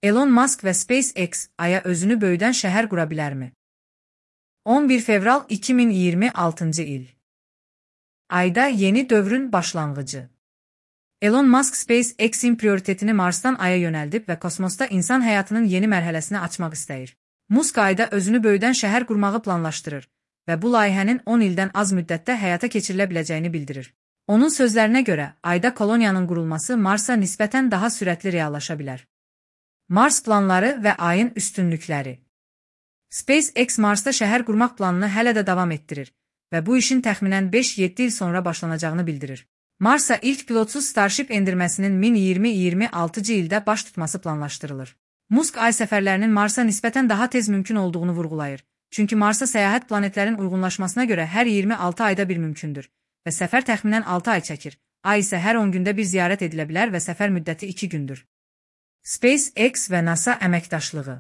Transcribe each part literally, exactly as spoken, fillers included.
Elon Musk və SpaceX Aya özünü böyüdən şəhər qura bilərmi? on bir fevral iki min iyirmi altıncı il. Ayda yeni dövrün başlanğıcı. Elon Musk SpaceX-in prioritetini Marsdan Aya yönəldib və kosmosda insan həyatının yeni mərhələsini açmaq istəyir. Musk Ayda özünü böyüdən şəhər qurmağı planlaşdırır və bu layihənin on ildən az müddətdə həyata keçirilə biləcəyini bildirir. Onun sözlərinə görə, Ayda koloniyanın qurulması Marsa nisbətən daha sürətli reallaşa bilər. Mars planları və Ayın üstünlükləri. SpaceX Marsda şəhər qurmaq planını hələ də davam etdirir və bu işin təxminən beş yeddi il sonra başlanacağını bildirir. Marsa ilk pilotsuz Starship endirməsinin min iyirmi iyirmi altıncı ildə baş tutması planlaşdırılır. Musk Ay səfərlərinin Marsa nisbətən daha tez mümkün olduğunu vurğulayır. Çünki Marsa səyahət planetlərin uyğunlaşmasına görə hər iyirmi altı ayda bir mümkündür və səfər təxminən altı ay çəkir. Ay isə hər on gündə bir ziyarət edilə bilər və səfər müddəti iki gündür. SpaceX və NASA əməkdaşlığı.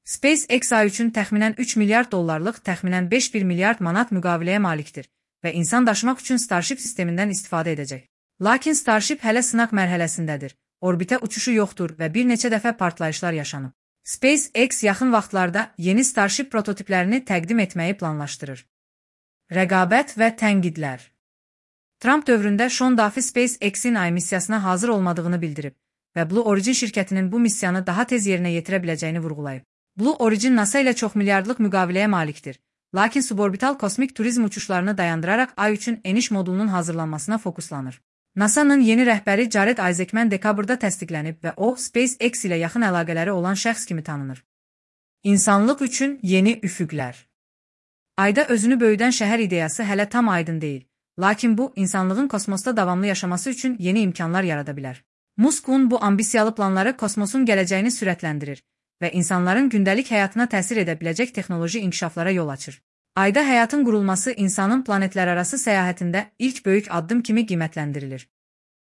SpaceX Ay üçün təxminən üç milyard dollarlıq, təxminən beş bir milyard manat müqaviləyə malikdir və insan daşımaq üçün Starship sistemindən istifadə edəcək. Lakin Starship hələ sınaq mərhələsindədir. Orbitə uçuşu yoxdur və bir neçə dəfə partlayışlar yaşanıb. SpaceX yaxın vaxtlarda yeni Starship prototiplərini təqdim etməyi planlaşdırır. Rəqabət və tənqidlər. Trump dövründə Sean Duffy SpaceX-in Ay missiyasına hazır olmadığını bildirib və Blue Origin şirkətinin bu missiyanı daha tez yerinə yetirə biləcəyini vurğulayıb. Blue Origin NASA ilə çox milyardlıq müqaviləyə malikdir. Lakin suborbital kosmik turizm uçuşlarını dayandıraraq Ay üçün eniş modulunun hazırlanmasına fokuslanır. NASA'nın yeni rəhbəri Jared Isaacman dekabrda təsdiqlənib və o, SpaceX ilə yaxın əlaqələri olan şəxs kimi tanınır. İnsanlıq üçün yeni üfüqlər. Ayda özünü böyüdən şəhər ideyası hələ tam aydın deyil. Lakin bu, insanlığın kosmosda davamlı yaşaması üçün yeni imkanlar yarada bilər. Musk'un bu ambisiyalı planları kosmosun gələcəyini sürətləndirir və insanların gündəlik həyatına təsir edə biləcək texnoloji inkişaflara yol açır. Ayda həyatın qurulması insanın planetlərarası səyahətində ilk böyük addım kimi qiymətləndirilir.